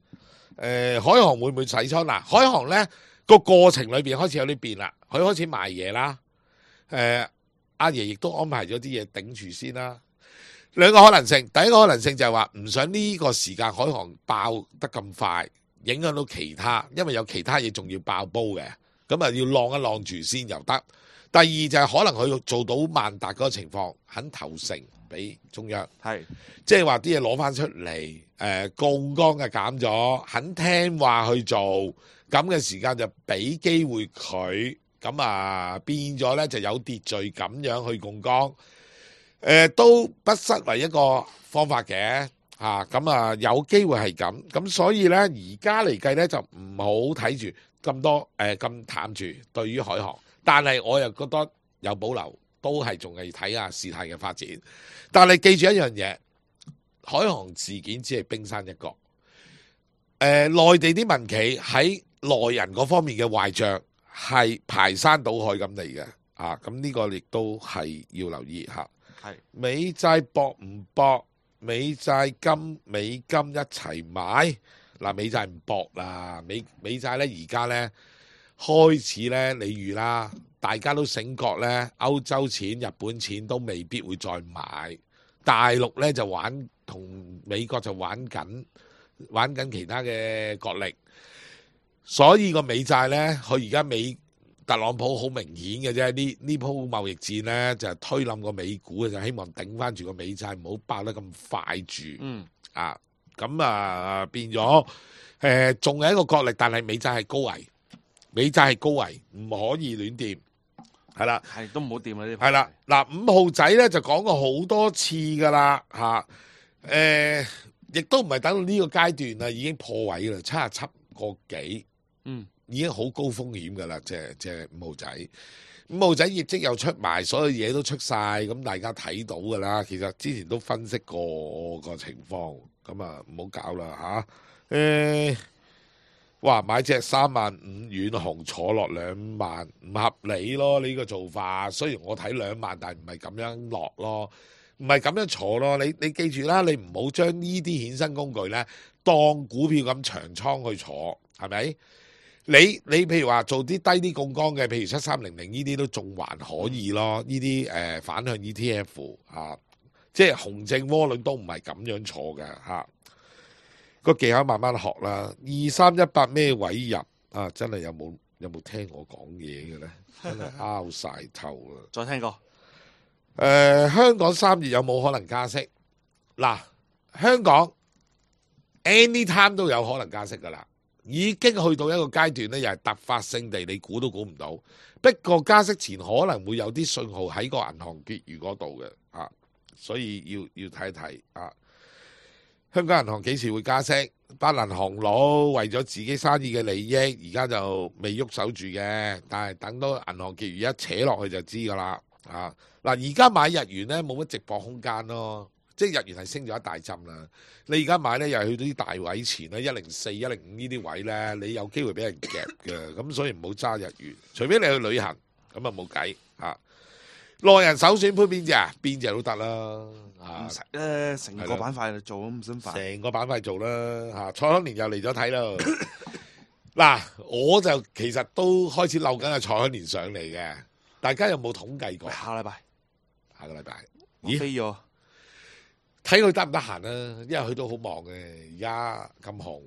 海航會唔會洗倉？嗱，海航咧個過程裏邊開始有啲變啦，佢開始賣嘢啦。阿爺亦都安排咗啲嘢頂住先啦。兩個可能性，第一個可能性就係話唔想呢個時間海航爆得咁快，影響到其他，因為有其他嘢仲要爆煲嘅，咁啊要晾一晾住先又得。第二就係可能佢做到萬達嗰個情況，肯投誠俾中央，係即係話啲嘢攞翻出嚟，槓桿嘅減咗，肯聽話去做，咁嘅時間就俾機會佢，咁啊變咗咧就有秩序咁樣去槓桿，都不失為一個方法嘅嚇，咁啊有機會係咁，咁所以咧而家嚟計咧就唔好睇住咁多咁淡住對於海航。但係我又覺得有保留，都係仲係睇下事態嘅發展。但係記住一樣嘢，海航事件只係冰山一角。內地啲民企喺內人嗰方面嘅壞帳係排山倒海咁嚟嘅。咁呢個亦都係要留意嚇。係美債搏唔搏？美債美金一齊買嗱，美債唔搏啦，美債咧而家咧。開始咧，你預啦，大家都醒覺咧，歐洲錢、日本錢都未必會再買，大陸咧就同美國就玩緊其他嘅角力，所以個美債咧，佢而家特朗普好明顯嘅啫，呢鋪貿易戰咧就係推冧個美股嘅，就希望頂翻住個美債，唔好爆得咁快住。咁變咗仲係一個角力，但係美債係高危。美債係高危，唔可以亂掂，係啦，係都唔好掂啦呢。係啦，嗱5號仔咧就講過好多次噶啦，亦都唔係等到呢個階段啦，已經破位啦，77個幾，已經好高風險㗎啦，即係5號仔。5號仔業績又出埋，所有嘢都出晒，咁大家睇到㗎啦。其實之前都分析過個情況，咁啊唔好搞啦嚇。哇！買隻3萬5遠紅坐落2萬，唔合理咯呢個做法。雖然我睇2萬，但係唔係咁樣落咯，唔係咁樣坐咯。你記住啦，你唔好將呢啲衍生工具呢當股票咁長倉去坐，係咪？你譬如話做啲低啲槓桿嘅，譬如7300呢啲都仲還可以咯。呢啲反向 ETF 啊，即係熊證窩輪都唔係咁樣坐嘅嚇。個技巧慢慢學啦。2318咩位入啊？真係有冇聽我講嘢嘅咧？真係拗晒頭啦！再聽過。香港3月有冇可能加息？嗱，香港 anytime 都有可能加息噶啦，已經去到一個階段咧，又係突發性地，你估都估唔到。不過加息前可能會有啲信號喺個銀行結餘嗰度嘅啊，所以要睇一睇啊。香港銀行幾時會加息？班銀行佬為咗自己生意嘅利益，而家就未喐手住嘅。但係等到銀行結餘一扯落去就知㗎啦。啊，嗱，而家買日元呢，冇乜直播空間咯，即係日元係升咗一大浸啦。你而家買呢，又係去到啲大位前咧，104、105呢啲位呢，你有機會俾人夾嘅。咁所以唔好揸日元，除非你去旅行，咁啊冇計嚇。內人首選配邊隻啊？邊隻都得啦，唔使咧，成個板塊嚟做咁唔想煩。成個板塊做啦，嚇！蔡康年又嚟咗睇啦。嗱，我就其實都開始漏緊阿蔡康年上嚟嘅。大家有冇統計過？下個禮拜，咦？飛咗，睇佢得唔得閒啊？因為佢都好忙嘅，而家咁紅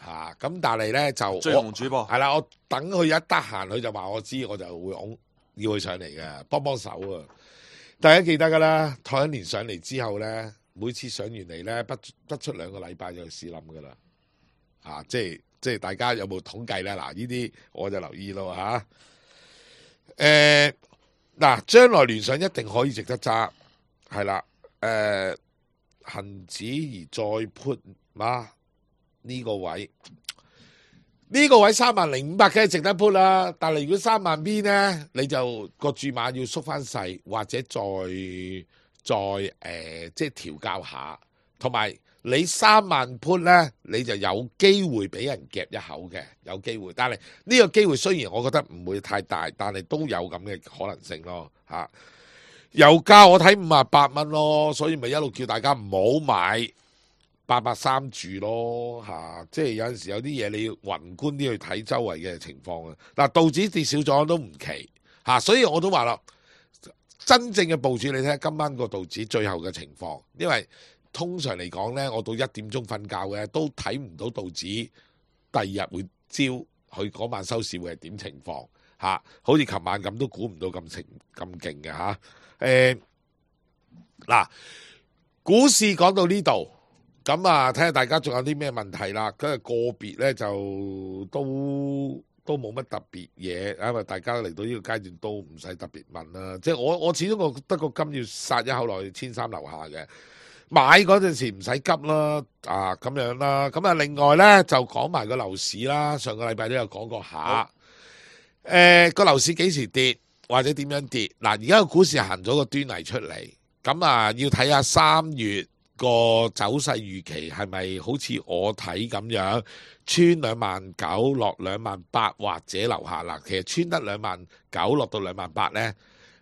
嚇。咁但係咧就最紅主播係啦，我等佢一得閒，佢就話我知，我就會要佢上嚟嘅，幫手啊！大家記得噶啦，蔡康年上嚟之後咧，每次上完嚟咧，不出2個禮拜就試冧噶啦，啊！即係大家有冇統計咧？嗱，呢啲我就留意咯嚇。嗱，將來聯想一定可以值得揸，係啦。恒指而再 put 嘛呢個位。呢個位30500梗係值得 put 啦，但係如果3萬 B 呢，你就個注碼要縮翻細，或者再即係調校下，同埋你3萬 put 呢，你就有機會俾人夾一口嘅，有機會。但係呢個機會雖然我覺得唔會太大，但係都有咁嘅可能性咯嚇。油價我睇58蚊咯，所以咪一路叫大家唔好買。883住咯嚇，即係有陣時有啲嘢你要宏觀啲去睇周圍嘅情況啊。嗱，道指跌少咗都唔奇嚇，所以我都話啦，真正嘅部署你睇下今晚個道指最後嘅情況，因為通常嚟講呢，我到1點鐘瞓覺嘅都睇唔到道指第二日會朝佢嗰晚收市會係點情況嚇，好似琴晚咁都估唔到咁勁嘅嚇。嗱，股市講到呢度。咁啊，睇下大家仲有啲咩問題啦。咁啊，個別咧就都冇乜特別嘢，因為大家嚟到呢個階段都唔使特別問啦。即係我始終覺得個金要殺一口落去1300樓下嘅，買嗰陣時唔使急啦，啊咁樣啦。咁啊，另外咧就講埋個樓市啦。上個禮拜都有講過下，個樓市幾時跌或者點樣跌？嗱，而家個股市行咗個端倪出嚟，咁啊要睇下3月。個走勢預期係咪好似我睇咁樣穿29000落28000或者樓下啦？其實穿得29000落到28000呢，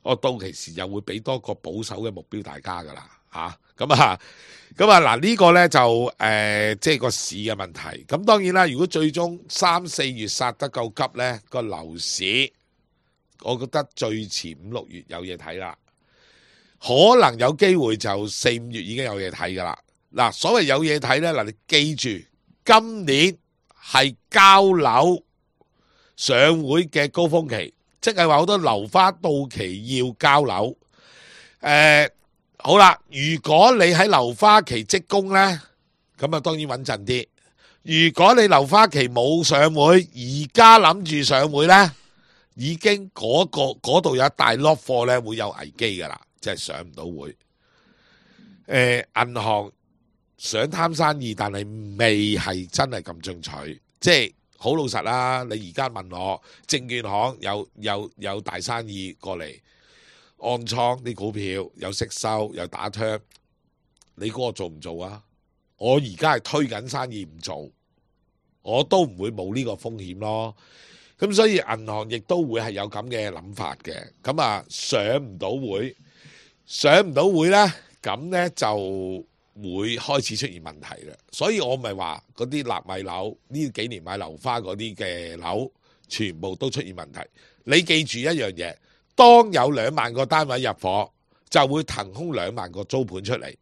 我到期時又會俾多個保守嘅目標大家噶啦嚇。咁嗱呢個呢就即係個市嘅問題。咁當然啦，如果最終3、4月殺得夠急呢，個樓市我覺得最遲5、6月有嘢睇啦。可能有機會就4、5月已經有嘢睇噶啦。嗱，所謂有嘢睇呢，嗱，你記住，今年係交樓上會嘅高峰期，即係話好多樓花到期要交樓。好啦，如果你喺樓花期積供呢，咁啊當然穩陣啲。如果你樓花期冇上會，而家諗住上會呢，已經嗰度有一大 lot 貨呢，會有危機噶啦。即係上唔到會，銀行想貪生意，但係未係真係咁進取，即係好老實啦，你而家問我證券行有大生意過嚟按倉啲股票，有息收有打 turn， 你估我做唔做啊？我而家係推緊生意唔做，我都唔會冇呢個風險咯。咁所以銀行亦都會係有咁嘅諗法嘅。咁啊上唔到會呢，咁呢就會開始出現問題啦。所以我咪話嗰啲納米樓呢幾年買樓花嗰啲嘅樓，全部都出現問題。你記住一樣嘢，當有2萬個單位入伙，就會騰空2萬個租盤出嚟。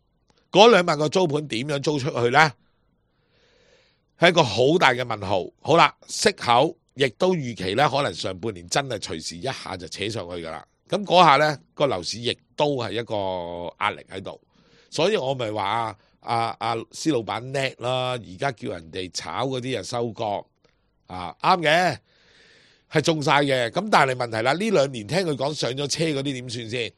嗰2萬個租盤點樣租出去呢？係一個好大嘅問號。好啦，息口亦都預期呢，可能上半年真係隨時一下就扯上去噶啦。咁嗰下呢，個樓市亦都係一個壓力喺度。所以我咪話施老闆叻啦，而家叫人哋炒嗰啲收割啱嘅，係中晒嘅。咁但係問題啦，呢2年聽佢講上咗車嗰啲點算先？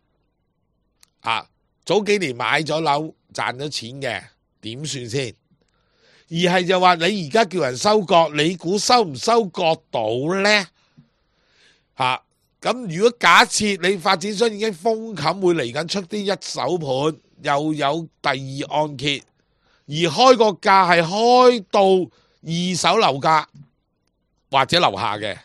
早幾年買咗樓賺咗錢嘅點算先？而係就話你而家叫人收割，你估收唔收割到呢？咁如果假設你發展商已經封冚會嚟緊出啲一手盤，又有第2按揭，而開個價係開到2手樓價或者樓下嘅，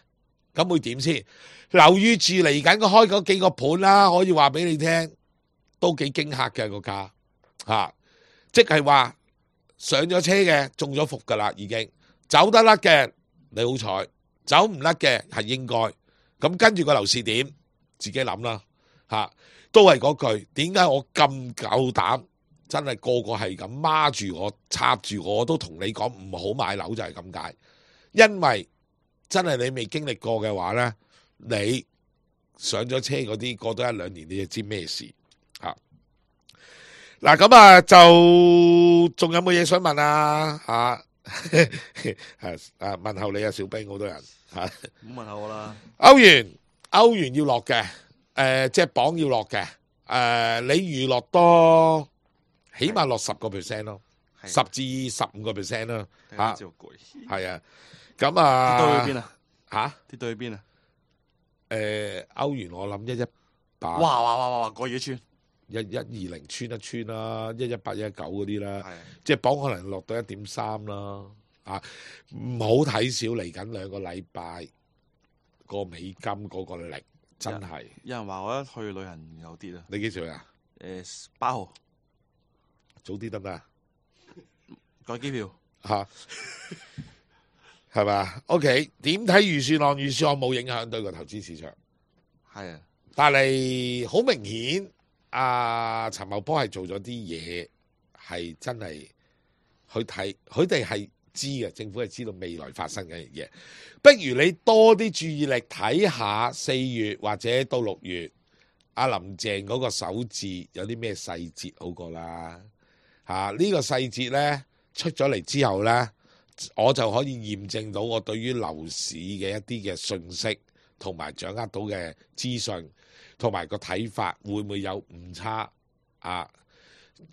咁會點先？留意住嚟緊個開嗰幾個盤啦，可以話俾你聽，都幾驚嚇嘅個價即係話上咗車嘅中咗伏噶啦，已經走得甩嘅你好彩，走唔甩嘅係應該。咁跟住個樓市點，自己諗啦都係嗰句，點解我咁夠膽，真係個個係咁孖住我插住我都同你講唔好買樓就係咁解。因為真係你未經歷過嘅話呢，你上咗車嗰啲過多1-2年你就知咩事嗱。咁就仲有冇嘢想問啊？問候你啊，小兵，好多人唔好問候我啦。歐元要落嘅，即係磅要落嘅，你預落多，起碼落10%咯，10至15%咯，係啊，咁跌到去邊啊？跌到去邊啊？歐元我諗118，哇，過嘢穿1120穿一穿啦，118、119嗰啲啦，即係磅可能落到1.3啦，唔好睇少嚟緊2個禮拜個美金嗰個力，真係。有人話我一去旅行有跌啊！你幾時去啊？8號，早啲得唔得啊？改機票係嘛？OK， 點睇預算案？預算案冇影響對個投資市場，係啊，但係好明顯，陳茂波係做咗啲嘢，係真係去睇，佢哋係知嘅，政府係知道未來發生嘅嘢。不如你多啲注意力睇下4月或者到6月，阿林鄭嗰個首置有啲咩細節好過啦。呢個細節呢，出咗嚟之後呢，我就可以驗證到我對於樓市嘅一啲嘅信息同埋掌握到嘅資訊同埋個睇法會唔會有誤差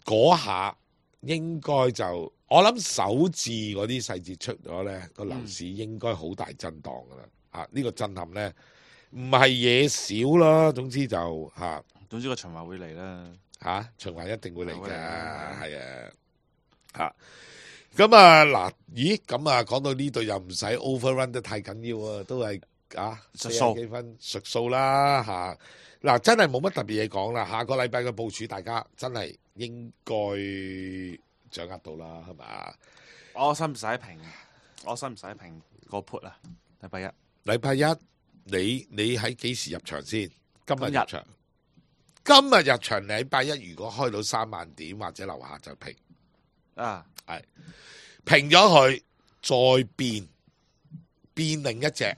嗰下應該就我諗首置嗰啲細節出咗呢，個樓市應該好大震盪噶啦。呢個震撼呢，唔係嘢少啦，總之就總之個循環會嚟啦。循環一定會嚟嘅，係啊。咁嗱，咦？咁講到呢度又唔使 overrun 得太緊要啊，都係40幾分屬數啦嗱，真係冇乜特別嘢講啦。下個禮拜嘅部署，大家真係應該掌握到啦，係嘛？我使唔使平個 put 啊？禮拜一，你喺幾時入場先？今日入場。今日入場，禮拜一如果開到3萬點或者樓下就平係平咗佢，再變另一隻，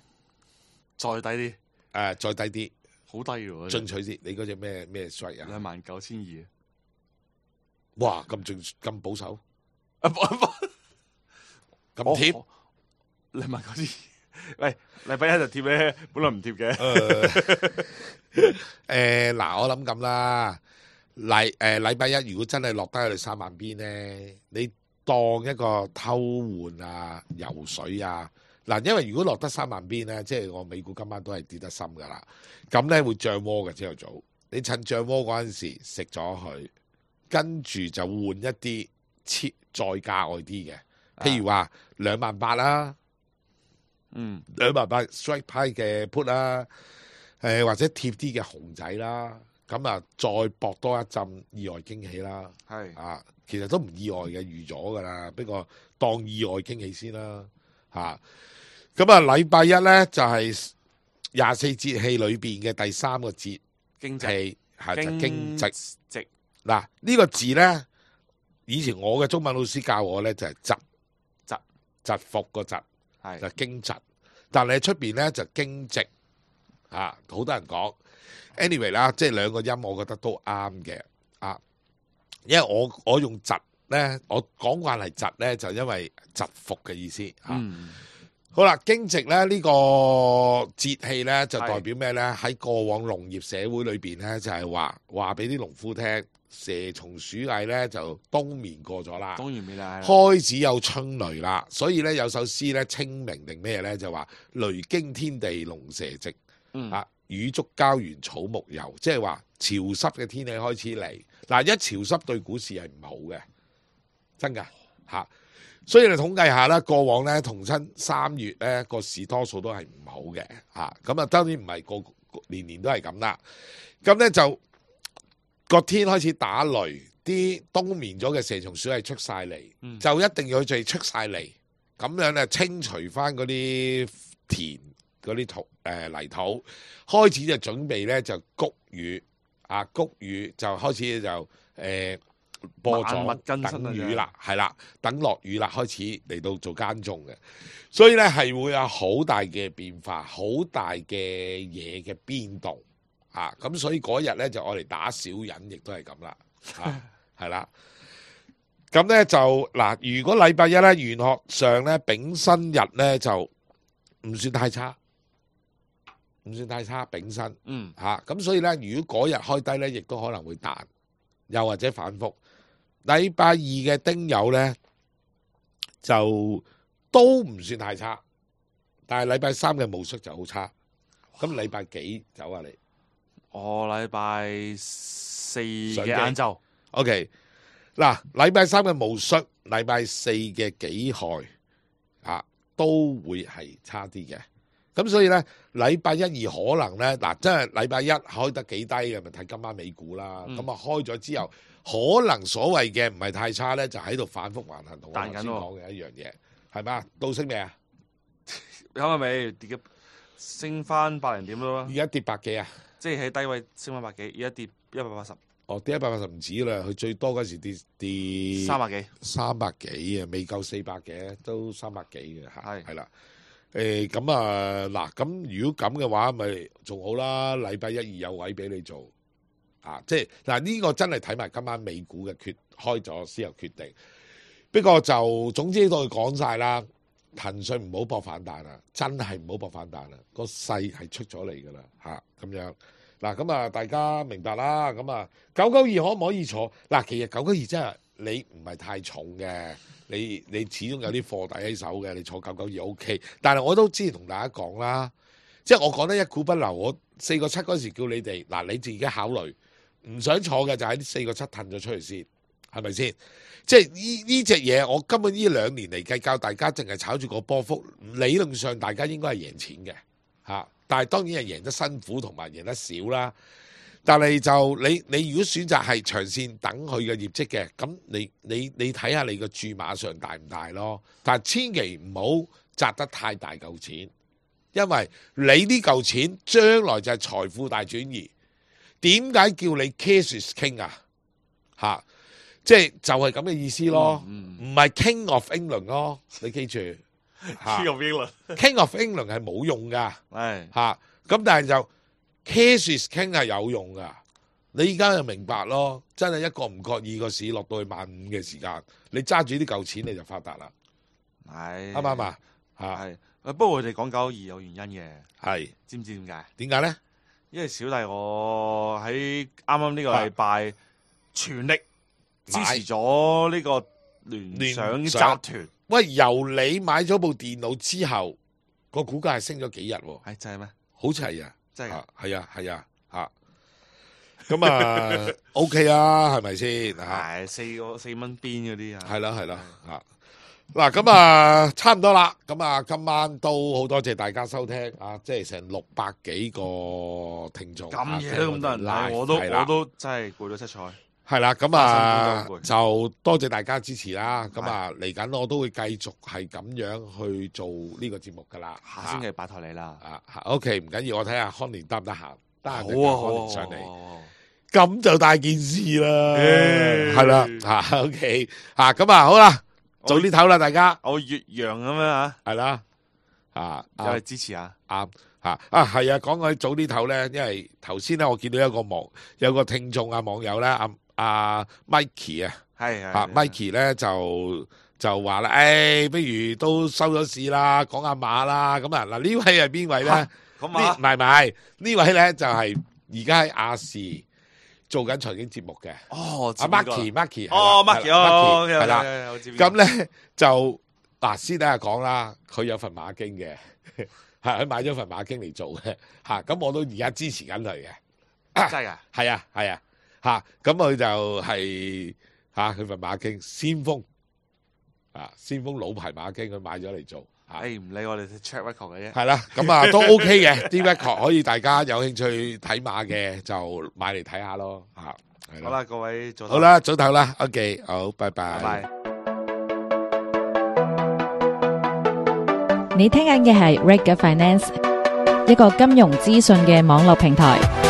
再低啲，再低啲，好低喎，進取啲。你嗰隻咩稅啊？29,200。哇，咁保守，咁貼，29,200。喂，禮拜一就貼咧，本來唔貼嘅。嗱，我諗咁啦，禮拜一如果真係落低去3萬邊咧，你當一個偷換游水嗱，因為如果落得3萬邊咧，即係我美股今晚都係跌得深噶啦，咁咧會漲窩嘅朝頭早。你趁漲窩嗰陣時食咗佢，跟住就換一啲再價外啲嘅，譬如話28000啦，28000 strike 派嘅 put 啦，或者貼啲嘅熊仔啦，咁啊再搏多一陣意外驚喜啦，啊，其實都唔意外嘅，預咗噶啦，不過當意外驚喜先啦，嚇。咁啊，禮拜一咧就係24節氣裏邊嘅第3個節氣，係就驚蟄。嗱呢個字咧，以前我嘅中文老師教我咧就係疾伏個疾，就驚蟄。但係出邊咧就驚蟄，好多人講。anyway 啦，即係兩個音，我覺得都啱嘅。因為我用疾咧，我講慣係疾咧，就因為疾伏嘅意思好啦，驚蟄咧呢個節氣咧就代表咩咧？喺過往農業社會裏邊咧，就係話俾啲農夫聽，蛇蟲鼠蟻咧就冬眠過咗啦，冬眠啦，開始有春雷啦。所以咧有首詩咧，清明定咩咧就話雷驚天地龍蛇寂，雨足膠原草木油，即係話潮濕嘅天氣開始嚟。嗱，一潮濕對股市係唔好嘅，真㗎嚇。所以你統計下啦，過往咧同親3月咧個市多數都係唔好嘅嚇，咁啊當然唔係個年年都係咁啦。咁咧就個天開始打雷，啲冬眠咗嘅蛇蟲鼠係出晒嚟，就一定要佢出晒嚟，咁樣咧清除翻嗰啲田嗰啲土泥土，開始就準備咧就谷雨谷雨就開始就播種等雨啦，係啦，等落雨啦，開始嚟到做耕種嘅，所以咧係會有好大嘅變化，好大嘅嘢嘅變動咁所以嗰日咧就愛嚟打小人，亦都係咁啦，係啦。咁咧就嗱，如果禮拜一咧玄學上咧丙申日咧就唔算太差，丙申，咁所以咧如果嗰日開低咧，亦都可能會彈，又或者反覆。禮拜二嘅丁酉咧就都唔算太差，但係禮拜三嘅戊戌就好差。咁禮拜幾走啊你？我禮拜4嘅晏晝。OK， 嗱，禮拜三嘅戊戌，禮拜4嘅己亥都會係差啲嘅。咁所以咧，禮拜一二可能咧，真係禮拜一開得幾低嘅，咪睇今晚美股啦。咁開咗之後，可能所謂嘅唔係太差咧，就喺度反覆橫行，同我頭先講嘅一樣嘢，係嘛？到升未啊？啱啱未跌嘅，升翻百零點咯。而家跌百幾啊？即係喺低位升翻百幾，而家跌180。哦，跌180唔止啦，佢最多嗰時跌300幾啊，未夠400嘅，都300幾嘅係啦。咁嗱，咁如果咁嘅話，咪仲好啦。禮拜一二有位俾你做即係嗱呢個真係睇埋今晚美股嘅開咗先有決定。不過就總之都講晒啦，騰訊唔好搏反彈啦，真係唔好搏反彈啦，個勢係出咗嚟噶啦咁樣。嗱咁大家明白啦。咁992可唔可以坐？嗱，其實992真係你唔係太重嘅。你始終有啲貨底喺手嘅，你坐992 OK。但係我都之前同大家講啦，即係我講得一股不留。我4個7嗰時叫你哋你自己考慮，唔想坐嘅就喺4個7褪咗出嚟先，係咪先？即係呢隻嘢，我根本呢2年嚟計教大家淨係炒住個波幅，理論上大家應該係贏錢嘅但係當然係贏得辛苦同埋贏得少啦。但係就你如果選擇係長線等佢嘅業績嘅，咁你睇下你個注碼上大唔大咯？但係千祈唔好擲得太大嚿錢，因為你呢嚿錢將來就係財富大轉移。點解叫你 cash is king 即係就係咁嘅意思咯，唔係 King of England 咯，你記住。King of England，King of England 係冇用噶，咁但係就 cash is king 係有用噶。你而家就明白咯，真係一個唔覺意個市落到去15000嘅時間，你揸住啲嚿錢你就發達啦，啱唔啱啊？係，不過佢哋講992有原因嘅，知唔知點解？點解咧？因為小弟我喺啱啱呢個禮拜全力支持咗呢個聯想集團。喂，由你買咗部電腦之後，個股價係升咗幾日，係真係咩？好似係啊，真係㗎，係啊，咁啊 OK 啊，係咪先？係4蚊邊嗰啲啊，係啦，嗱咁啊，差唔多啦，咁啊，今晚都好多謝大家收聽啊，即係成600幾個聽眾，咁嘢都咁多人睇，我都真係攰到七彩。係啦，咁啊就多謝大家支持啦。咁啊嚟緊我都會繼續係咁樣去做呢個節目噶啦。下星期拜託你啦。OK 唔緊要，我睇下康年得唔得閒，得閒好康年上嚟。咁就大件事啦，係啦，OK 咁啊好啦，早啲唞啦，大家。我越洋咁樣啊，係啦，又係支持下。啱係啊，講起早啲唞咧，因為頭先咧我見到有個聽眾網友咧阿 Mikey 啊，係Mikey 咧就話啦，不如都收咗市啦，講下馬啦。咁啊嗱，呢位係邊位咧？唔係呢位咧就係而家喺亞視做緊財經節目嘅。哦，阿 Marky 哦 Marky 係啦。咁咧就先等下講啦，佢有份馬經嘅，佢買咗份馬經嚟做嘅。咁我都而家支持緊佢嘅。真係㗎？係啊。咁佢就係佢份馬經先鋒老牌馬經，佢買咗嚟做。唔理我哋 check record 嘅啫。係啦，咁都 OK 嘅，啲 record 可以大家有興趣睇馬嘅就買嚟睇下咯。好啦，各位早唞。好啦，早唞啦。OK， 好，拜拜。拜拜。你聽緊嘅係 Reg Finance，一個金融資訊嘅網絡平台。